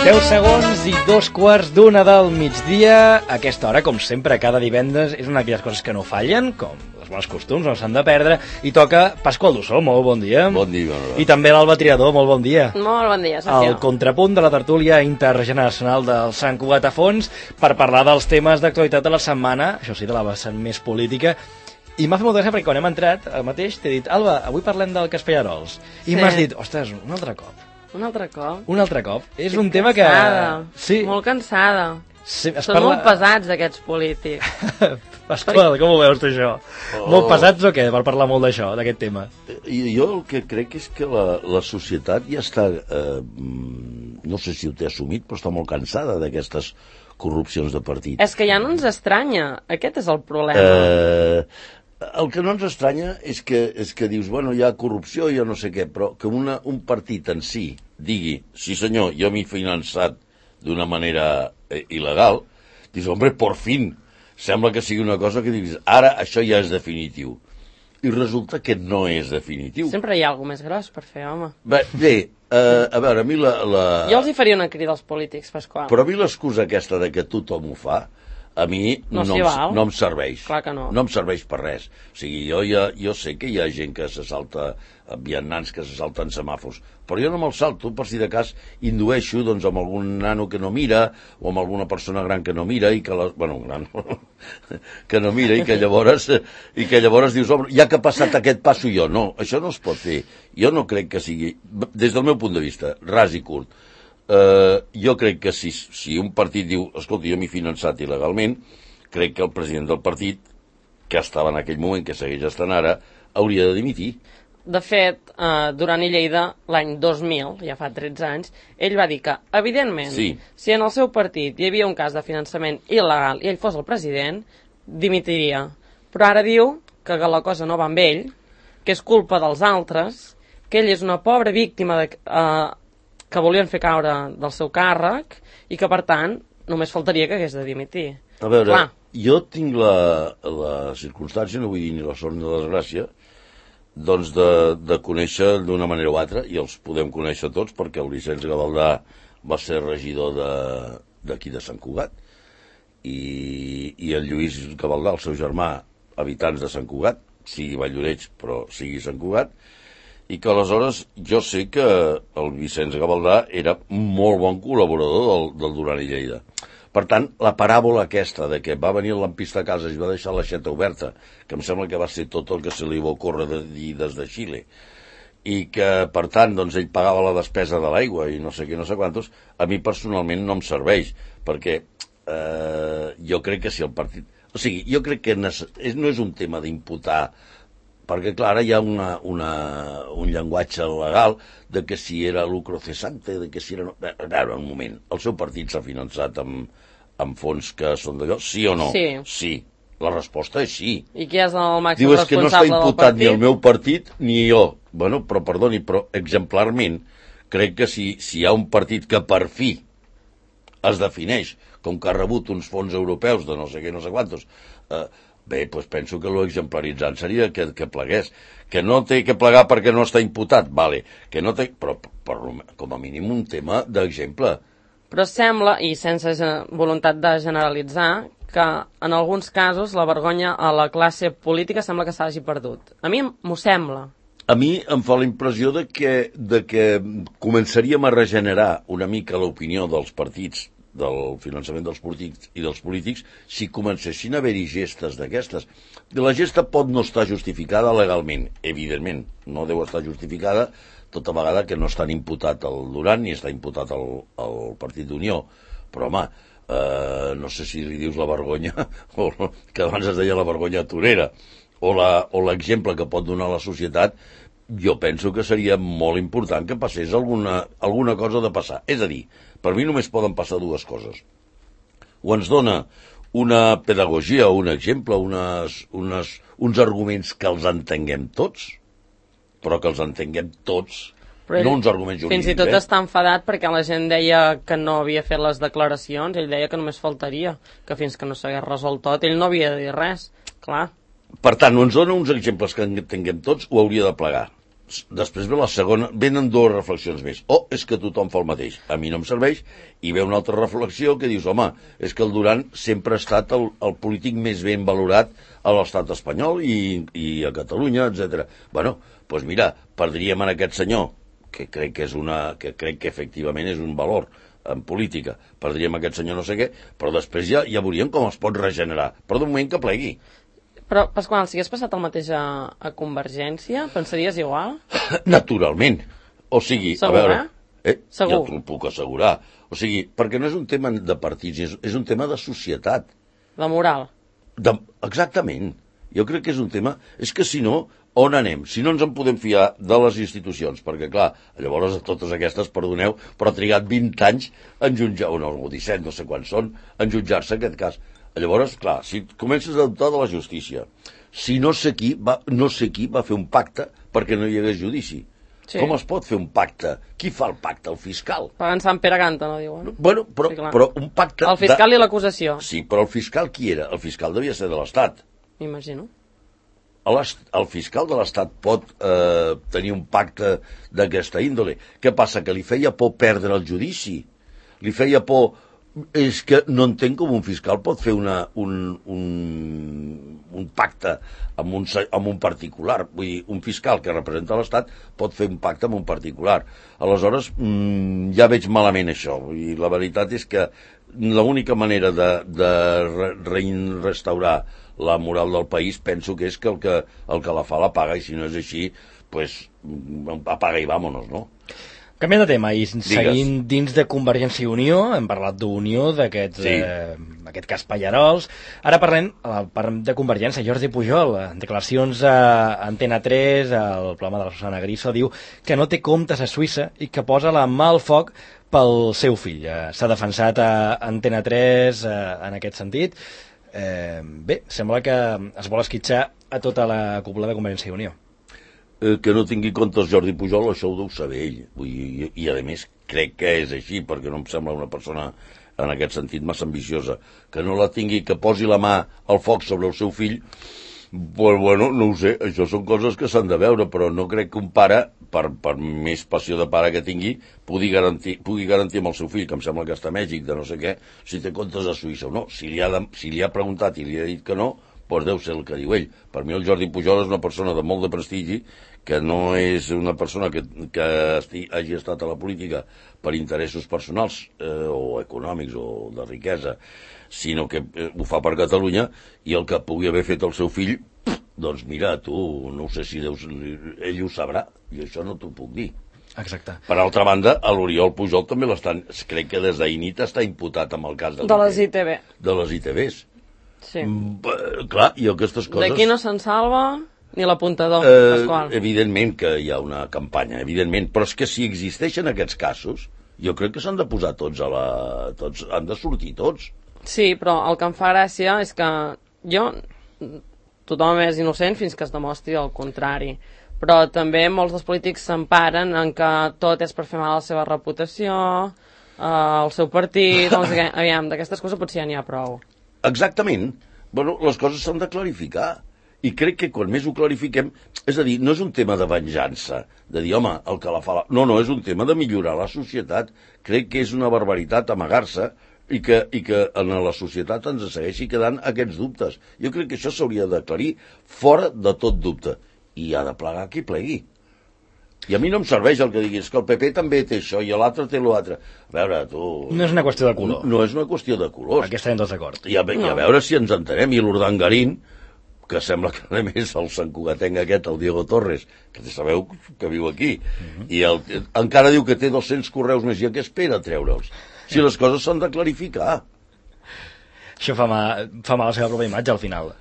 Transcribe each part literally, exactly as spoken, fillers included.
deu segons i dos quarts d'una del migdia. A aquesta hora, com sempre, cada divendres és una d'aquelles coses que no fallen, com els bons costums, no s'han de perdre, i toca Pasqual Dussó, molt bon dia. Bon dia, bon I també l'Alba Triador, molt bon dia. Molt bon dia, Sergio. El contrapunt de la tertúlia intergeneracional del Sant Cugat a Fons per parlar dels temes d'actualitat de la setmana, això sí, de la vessant més política. I m'ha fet molta gràcia perquè quan hem entrat, el mateix t'he dit, Alba, avui parlem del cas Pallarols. I sí. M'has dit, ostres, un altre cop. Un altre cop? Un altre cop. És Estic un tema cansada. que... Sí. Molt cansada. Sí, Són parla... molt pesats, aquests polítics. Pasqual, com ho veus tu, això? Oh. Molt pesats o què, per parlar molt d'això, d'aquest tema? I jo el que crec és que la, la societat ja està... Eh, no sé si ho té assumit, però està molt cansada d'aquestes corrupcions de partit. És que ja no ens estranya. Aquest és el problema. Eh... El que no ens estranya és que, és que dius, bueno, hi ha corrupció, jo no sé què, però que una, un partit en si digui, sí senyor, jo m'he finançat d'una manera eh, il·legal, dius, hombre, por fin, sembla que sigui una cosa que diguis, ara això ja és definitiu. I resulta que no és definitiu. Sempre hi ha alguna més gros per fer, home. Bé, bé eh, a veure, a mi la, la... Jo els hi faria una crida als polítics, Pasqual. Però a mi l'excusa aquesta de que tothom ho fa, a mi no, no, no, em, no em serveix. Clar que no. No em serveix per res. O sigui, jo, ja, jo sé que hi ha gent que se salta, vianants que se salten semàfors, però jo no me'l salto, per si de cas indueixo doncs, amb algun nano que no mira, o amb alguna persona gran que no mira, i que la, bueno, gran, que no mira, i que llavors, i que llavors dius, home, ja que ha passat aquest passo jo, no, això no es pot fer. Jo no crec que sigui, des del meu punt de vista, ras i curt, Uh, jo crec que si, si un partit diu, escolta, jo m'he finançat il·legalment, crec que el president del partit, que estava en aquell moment, que segueix estant ara, hauria de dimitir. De fet, uh, durant i Lleida, l'any dos mil, ja fa tretze anys, ell va dir que, evidentment, sí. si en el seu partit hi havia un cas de finançament il·legal i ell fos el president, dimitiria. Però ara diu que la cosa no va amb ell, que és culpa dels altres, que ell és una pobra víctima de... Uh, que volien fer caure del seu càrrec i que, per tant, només faltaria que hagués de dimitir. A veure, Clar. Jo tinc la, la circumstància, no vull dir ni la sort ni la desgràcia, doncs de, de conèixer d'una manera o altra, i els podem conèixer tots, perquè el Vicenç Gavaldà va ser regidor d'aquí de, de Sant Cugat, i, i el Lluís Gavaldà, el seu germà, habitants de Sant Cugat, sigui Valldoreix, però sigui Sant Cugat, i que aleshores jo sé que el Vicenç Gavaldà era molt bon col·laborador del, del Duran i Lleida. Per tant, la paràbola aquesta de que va venir el lampista a casa i va deixar l'aixeta oberta, que em sembla que va ser tot el que se li va ocórrer de dir des de Xile, i que, per tant, doncs, ell pagava la despesa de l'aigua i no sé què, no sé quantos, a mi personalment no em serveix, perquè eh, jo crec que si el partit... O sigui, jo crec que no és un tema d'imputar, perquè, clar, ara hi ha una, una, un llenguatge legal de que si era lucro cesante, de que si era... A veure, un moment, el seu partit s'ha finançat amb, amb fons que són d'allò, sí o no? Sí. Sí. La resposta és sí. I qui és el màxim Diu, és responsable que no està imputat ni el partit? meu partit ni jo. Bueno, però perdoni, però exemplarment, crec que si, si hi ha un partit que per fi es defineix com que ha rebut uns fons europeus de no sé què, no sé quantos, eh, bé, doncs penso que l'exemplaritzant seria que, que plegués. Que no té que plegar perquè no està imputat, vale. Que no té... Però, però com a mínim un tema d'exemple. Però sembla, i sense voluntat de generalitzar, que en alguns casos la vergonya a la classe política sembla que s'hagi perdut. A mi m'ho sembla. A mi em fa la impressió de que, de que començaríem a regenerar una mica l'opinió dels partits del finançament dels polítics i dels polítics si comencessin a haver-hi gestes d'aquestes. La gesta pot no estar justificada legalment, evidentment, no deu estar justificada tota vegada que no estan imputat el Duran ni està imputat el, el Partit d'Unió, però home, eh, no sé si li dius la vergonya, o que abans es deia la vergonya torera, o l'exemple que pot donar la societat, jo penso que seria molt important que passés alguna, alguna cosa de passar. És a dir, per mi només poden passar dues coses. O ens dona una pedagogia, un exemple, unes, unes, uns arguments que els entenguem tots, però que els entenguem tots, però ell, no uns arguments jurídics. Fins i tot eh? està enfadat perquè la gent deia que no havia fet les declaracions, ell deia que només faltaria, que fins que no s'hagués resolt tot, ell no havia de dir res, clar. Per tant, o ens dona uns exemples que entenguem tots o hauria de plegar. després ve la segona, venen dues reflexions més. O és que tothom fa el mateix, a mi no em serveix, i ve una altra reflexió que dius, home, és que el Duran sempre ha estat el, el polític més ben valorat a l'estat espanyol i, i a Catalunya, etcètera. Bueno, doncs mira, perdríem en aquest senyor, que crec que és una, que crec que efectivament és un valor en política, perdríem aquest senyor no sé què, però després ja, ja veuríem com es pot regenerar, però de moment que plegui. Però, Pasqual, si hagués passat el mateix a, a Convergència, pensaries igual? Naturalment. O sigui, Segur, a veure... eh? Eh? Segur. Ja t'ho puc assegurar. O sigui, perquè no és un tema de partits, és, és un tema de societat. La moral. De, exactament. Jo crec que és un tema... És que si no, on anem? Si no ens en podem fiar de les institucions, perquè, clar, llavors totes aquestes, perdoneu, però ha trigat vint anys en jutjar, o no, o disset, no sé quants són, en jutjar-se aquest cas. Llavors, clar, si comences a dubtar de la justícia, si no sé qui va, no sé qui va fer un pacte perquè no hi hagués judici. Sí. Com es pot fer un pacte? Qui fa el pacte? El fiscal. Pagant Sant Pere Canta, no diuen? Bueno, però, sí, però un pacte... El fiscal de... i l'acusació. Sí, però el fiscal qui era? El fiscal devia ser de l'Estat. M'imagino. El fiscal de l'Estat pot eh, tenir un pacte d'aquesta índole. Què passa? Que li feia por perdre el judici? Li feia por... És que no entenc com un fiscal pot fer una, un, un, un pacte amb un, amb un particular. Vull dir, un fiscal que representa l'Estat pot fer un pacte amb un particular. Aleshores, mmm, ja veig malament això. I la veritat és que l'única manera de, de re, re, restaurar la moral del país penso que és que el que, el que la fa la paga, i si no és així, pues, apaga i vámonos, no? Canviant de tema, i seguint dins de Convergència i Unió, hem parlat d'Unió, d'aquest sí. eh, aquest cas Pallarols. Ara parlem, parlem de Convergència. Jordi Pujol, en declaracions a Antena tres, al programa de la Susana Griso, diu que no té comptes a Suïssa i que posa la mà al foc pel seu fill. Eh, S'ha defensat a Antena tres eh, en aquest sentit. Eh, bé, sembla que es vol esquitxar a tota la cúpula de Convergència i Unió. Eh, que no tingui comptes Jordi Pujol, això ho deu saber ell. Vull dir, i, i a més crec que és així, perquè no em sembla una persona en aquest sentit massa ambiciosa. Que no la tingui, que posi la mà al foc sobre el seu fill, pues, bueno, no ho sé, això són coses que s'han de veure, però no crec que un pare, per, per més passió de pare que tingui, pugui garantir, pugui garantir amb el seu fill, que em sembla que està a Mèxic, de no sé què, si té comptes a Suïssa o no. Si li ha, de, si li ha preguntat i li ha dit que no, doncs deu ser el que diu ell. Per mi el Jordi Pujol és una persona de molt de prestigi, que no és una persona que, que esti, hagi estat a la política per interessos personals eh, o econòmics o de riquesa, sinó que eh, ho fa per Catalunya, i el que pugui haver fet el seu fill, doncs mira, tu, no sé si deus, ell ho sabrà, i això no t'ho puc dir. Exacte. Per altra banda, a l'Oriol Pujol també l'estan, crec que des d'Ainit està imputat amb el cas de, de les I T V. De les I T Vs. Sí. Mm, clar, i aquestes coses... D'aquí no se'n salva ni l'apuntador, eh, Pasqual. Evidentment que hi ha una campanya, evidentment, però és que si existeixen aquests casos, jo crec que s'han de posar tots a la... tots, han de sortir tots. Sí, però el que em fa gràcia és que jo... tothom és innocent fins que es demostri el contrari. Però també molts dels polítics s'emparen en que tot és per fer mal a la seva reputació, eh, al seu partit, no sé què. Aviam, d'aquestes coses potser ja n'hi ha prou. Exactament. Bueno, les coses s'han de clarificar. I crec que quan més ho clarifiquem, és a dir, no és un tema de venjança, de dir, home, el que la fa la... No, no, és un tema de millorar la societat. Crec que és una barbaritat amagar-se i que, i que en la societat ens segueixi quedant aquests dubtes. Jo crec que això s'hauria d'aclarir fora de tot dubte. I ha de plegar qui plegui. I a mi no em serveix el que diguis que el P P també té això i l'altre té l'altre. A veure, tu... No és una qüestió de color. No, no és una qüestió de colors. Aquí estarem tots d'acord. I, a, no. I a veure si ens entenem. I l'Urdangarín, que sembla que a més el santcugatenc aquest, el Diego Torres, que sabeu que viu aquí, uh-huh. i el, encara diu que té dos-cents correus més, i a què espera treure'ls? Si les coses s'han de clarificar. Això fa mal, fa mal a la seva pròpia imatge al final.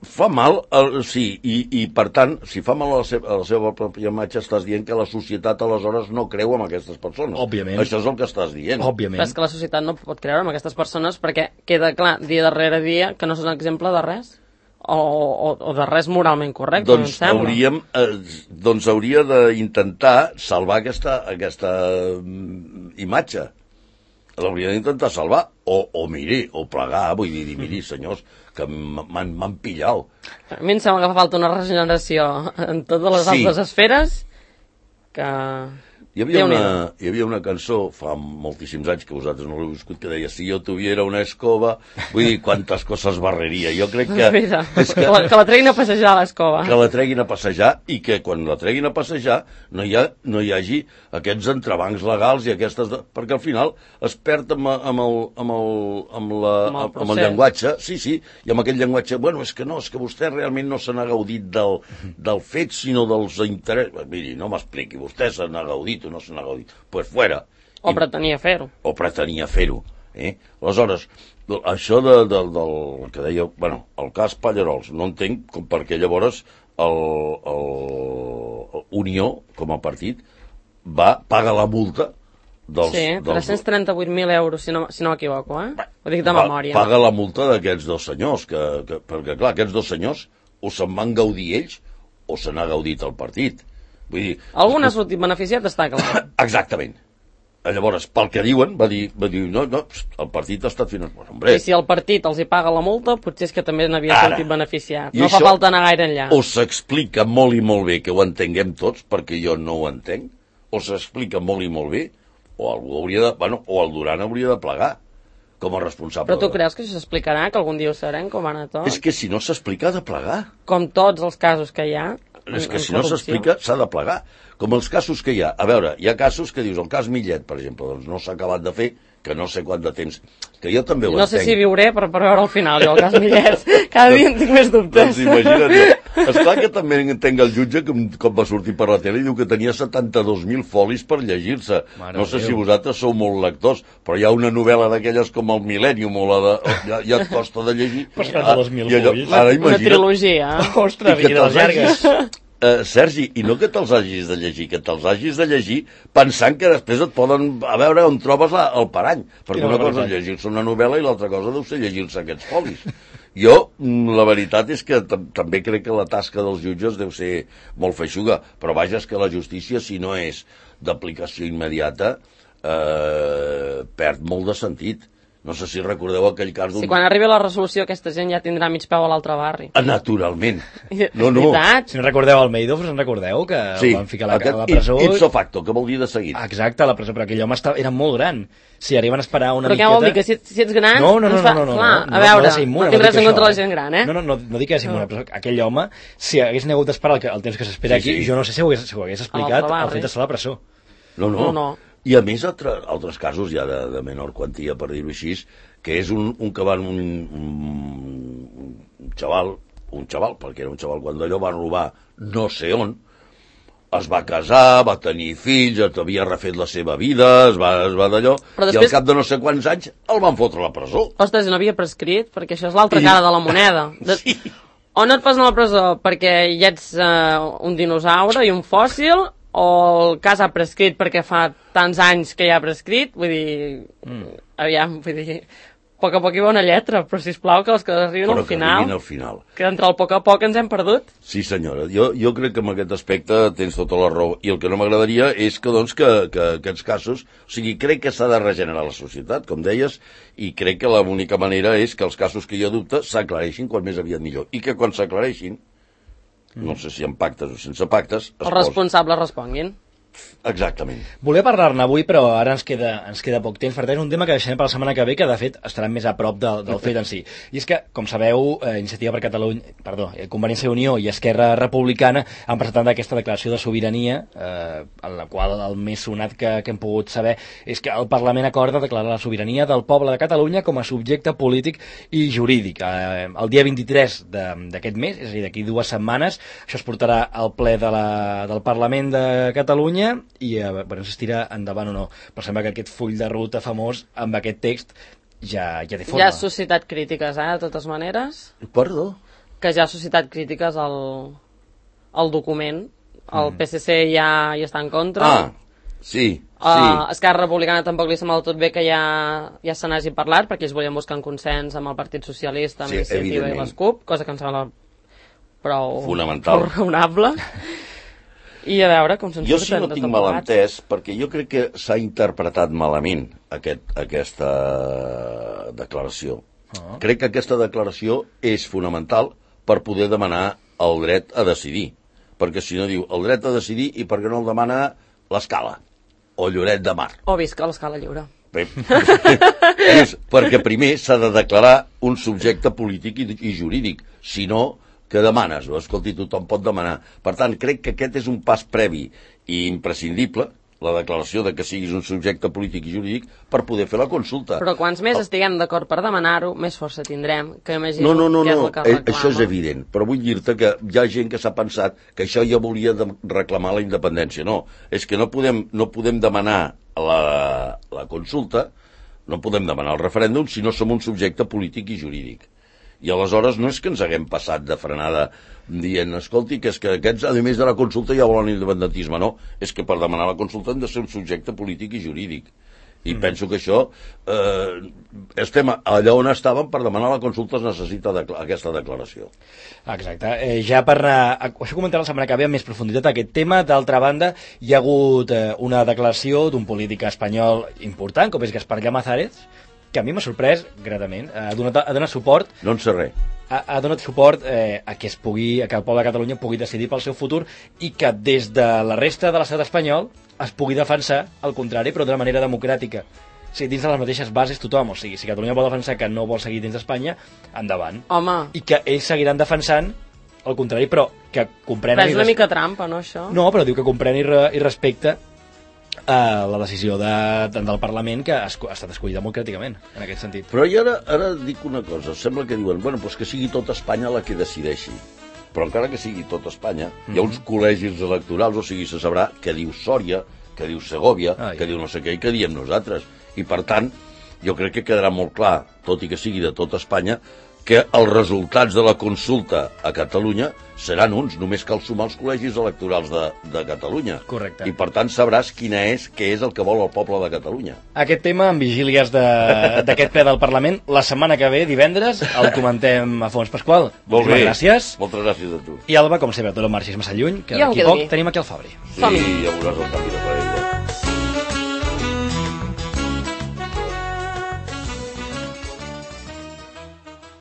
Fa mal, el, sí, i, i per tant, si fa mal a la, seva, a la seva pròpia imatge, estàs dient que la societat aleshores no creu en aquestes persones. Òbviament. Això és el que estàs dient. Òbviament. Però és que la societat no pot creure en aquestes persones perquè queda clar dia darrere dia que no són exemple de res. O, o, o de res moralment correcte, doncs, em hauríem, eh, doncs hauria d'intentar salvar aquesta, aquesta mm, imatge. L'hauria d'intentar salvar, o, o miri, o plegar, vull dir, miri, senyors, que m'han pillat. A mi em sembla que fa falta una regeneració en totes les sí. altres esferes que... Hi havia, una, hi havia una cançó fa moltíssims anys que vosaltres no l'heu viscut que deia si jo tuviera una escova, vull dir, quantes coses barreria. Jo crec que... És que... que, la, que la treguin a passejar a l'escova. Que la treguin a passejar i que quan la treguin a passejar no hi, ha, no hi hagi aquests entrebancs legals i aquestes... De... Perquè al final es perd amb, amb, el, amb, el, amb, la, amb, el amb el llenguatge, sí, sí, i amb aquest llenguatge, bueno, és que no, és que vostè realment no se n'ha gaudit del, del fet, sinó dels interessos. Miri, no m'expliqui, vostè se n'ha gaudit no se n'ha gaudit, pues fuera. O I, pretenia fer-ho. O pretenia fer-ho. Eh? Aleshores, això de, de, del que deia, bueno, el cas Pallarols, no entenc com perquè llavors el, el, el Unió, com a partit, va pagar la multa dels... Sí, tres-cents trenta-vuit mil euros, si no, si no m'equivoco, eh? Ho dic de va, memòria. Paga la multa d'aquests dos senyors, que, que, perquè clar, aquests dos senyors o se'n van gaudir ells o se n'ha gaudit el partit. Vull dir... Algun ha sortit beneficiat, està clar. Exactament. Llavors, pel que diuen, va dir, va dir no, no, el partit ha estat finançat. Hombre, I si el partit els hi paga la multa, potser és que també n'havia sortit beneficiat. No fa això, falta anar gaire enllà. O s'explica molt i molt bé que ho entenguem tots, perquè jo no ho entenc, o s'explica molt i molt bé, o algú hauria de... Bueno, o el Duran hauria de plegar com a responsable. Però tu creus que això s'explicarà, que algun dia ho sabrem, com va anar tot? És que si no s'explica, ha de plegar. Com tots els casos que hi ha. És que si no s'explica, s'ha de plegar. Com els casos que hi ha. A veure, hi ha casos que dius, el cas Millet, per exemple, doncs no s'ha acabat de fer, que no sé quant de temps, que jo també ho no entenc. No sé si viuré per, per veure al final, jo, el cas Millet. Cada dia en tinc més dubtes. Doncs imagina't, jo. Esclar que també entenc el jutge, que com va sortir per la tele, i diu que tenia setanta-dos mil folis per llegir-se. No sé si vosaltres sou molt lectors, però hi ha una novel·la d'aquelles com el Millennium, o la de... Ja, ja et costa de llegir. Per setanta-dos mil folis. Ara una trilogia. Ostres, i de les llargues. Uh, Sergi, i no que te'ls hagis de llegir, que te'ls hagis de llegir pensant que després et poden... A veure on trobes la, el parany. Perquè no, una cosa és llegir-se una novel·la i l'altra cosa deu ser llegir-se aquests folis. Jo, la veritat és que també crec que la tasca dels jutges deu ser molt feixuga, però vaja, és que la justícia, si no és d'aplicació immediata, eh, perd molt de sentit. No sé si recordeu aquell cas d'un... Si quan arribi la resolució aquesta gent ja tindrà mig peu a l'altre barri. Naturalment. No, no. Si no recordeu el Madoff, us en recordeu? Que sí, el van ficar a la, a la presó. Ipso facto, que vol dir de seguit. Exacte, a la presó, però aquell home estava, era molt gran. Si arriben a esperar una però miqueta... Però què vol dir? Que si, si ets gran... No, no, no, fa... no, no, no, Clar, no, a veure, no, immune, no tinc res en contra això, la gent gran, eh? No, no, no, no dic que és immune, però aquell home, si hagués hagut d'esperar el, el temps que s'espera sí, aquí, sí. Jo no sé si ho hagués, si ho hagués explicat el fet d'estar a la presó. No, no. no, no. I a més, altre, altres casos ja de, de menor quantia, per dir-ho així, que és un, un que van un, un, un xaval, un xaval, perquè era un xaval quan d'allò va robar no sé on, es va casar, va tenir fills, havia refet la seva vida, es va, es va d'allò, després... i al cap de no sé quants anys el van fotre a la presó. Ostres, no havia prescrit, perquè això és l'altra I... cara de la moneda. De... Sí. O no et posen a la presó perquè ja ets uh, un dinosaure i un fòssil, o el cas ha prescrit perquè fa tants anys que ja ha prescrit, vull dir, mm. aviam, vull dir, a poc a poc hi va una lletra, però sisplau que els que arriben però al final, que al final, que entre el poc a poc ens hem perdut. Sí senyora, jo, jo crec que en aquest aspecte tens tota la raó, i el que no m'agradaria és que, doncs, que, que aquests casos, o sigui, crec que s'ha de regenerar la societat, com deies, i crec que l'única manera és que els casos que hi ha dubte s'aclareixin quan més aviat millor, i que quan s'aclareixin, no sé si amb pactes o sense pactes... Els responsables responguin. Exactament. Volia parlar-ne avui, però ara ens queda, ens queda poc temps. Per tant, és un tema que deixarem per la setmana que ve, que de fet estarà més a prop del, del fet en si. I és que, com sabeu, eh, Iniciativa per Catalunya, perdó, eh, Convergència i Unió i Esquerra Republicana han presentat aquesta declaració de sobirania, eh, en la qual el més sonat que, que hem pogut saber és que el Parlament acorda declarar la sobirania del poble de Catalunya com a subjecte polític i jurídic. Eh, el dia vint-i-tres d'aquest mes, és a dir, d'aquí dues setmanes, això es portarà al ple de la, del Parlament de Catalunya i a veure si es tira endavant o no, però sembla que aquest full de ruta famós amb aquest text ja, ja té forma. Ja ha suscitat crítiques, eh, de totes maneres. Perdó? Que ja ha suscitat crítiques al, al document. El mm. P S C ja hi està en contra. Ah, sí, uh, sí. Esquerra Republicana tampoc li sembla tot bé que ja, ja se n'hagi parlat, perquè ells volien buscar un consens amb el Partit Socialista, amb sí, Iniciativa i les CUP, cosa que em sembla prou, fonamental, prou raonable. I a veure com se'n surten. Jo sí no tinc mal entès, perquè jo crec que s'ha interpretat malament aquest, aquesta declaració. Oh. Crec que aquesta declaració és fonamental per poder demanar el dret a decidir. Perquè si no diu el dret a decidir i per què no el demana l'Escala, o Lloret de Mar. O visca l'Escala Lliure. Bé, és perquè primer s'ha de declarar un subjecte polític i, i jurídic, si no, que demanes? Escolti, tothom pot demanar. Per tant, crec que aquest és un pas previ i imprescindible, la declaració de que siguis un subjecte polític i jurídic, per poder fer la consulta. Però quants més estiguem d'acord per demanar-ho, més força tindrem, que imagino no, no, no, que és no. el que reclama. Això és evident, però vull dir-te que hi ha gent que s'ha pensat que això ja volia de reclamar la independència. No, és que no podem, no podem demanar la, la consulta, no podem demanar el referèndum si no som un subjecte polític i jurídic. I aleshores no és que ens haguem passat de frenada dient, escolti, que és que aquests, a més de la consulta, ja volen independentisme. No, és que per demanar la consulta hem de ser un subjecte polític i jurídic. I mm. penso que això, eh, estem allà on estàvem, per demanar la consulta es necessita de, aquesta declaració. Exacte. Eh, ja per anar, això comentaré la setmana que ve amb més profunditat aquest tema. D'altra banda, hi ha hagut eh, una declaració d'un polític espanyol important, com és Gaspar Llamazares, que a mi m'ha sorprès gratament. Ha donat, ha donat suport... No en sé res. Ha, ha donat suport eh, a que es pugui, a que el poble de Catalunya pugui decidir pel seu futur i que des de la resta de l'estat espanyol es pugui defensar el contrari, però d'una manera democràtica. O sigui, dins de les mateixes bases tothom. O sigui, si Catalunya vol defensar que no vol seguir dins d'Espanya, endavant. Home. I que ells seguiran defensant el contrari, però que comprenen... Però és una mica trampa, no, això? No, però diu que comprèn i, re, i respecta Uh, la decisió de, de, del Parlament que ha, ha estat escollida democràticament en aquest sentit. Però jo ara, ara dic una cosa, sembla que diuen, bueno, doncs que sigui tota Espanya la que decideixi, però encara que sigui tota Espanya, mm-hmm. hi ha uns col·legis electorals, o sigui, se sabrà que diu Sòria, que diu Segòvia, Ai. que diu no sé què, i que diem nosaltres. I per tant, jo crec que quedarà molt clar, tot i que sigui de tota Espanya, que els resultats de la consulta a Catalunya seran uns, només cal sumar els col·legis electorals de, de Catalunya. Correcte. I per tant sabràs quina és, què és el que vol el poble de Catalunya. Aquest tema, en vigílies d'aquest ple del Parlament, la setmana que ve, divendres, el comentem a fons. Pasqual, molt bé. Gràcies. Moltes gràcies a tu. I Alba, com sempre, tot el marxis massa lluny, que d'aquí poc tenim aquí el Fabri. Sí, ja veuràs el canvi de parer.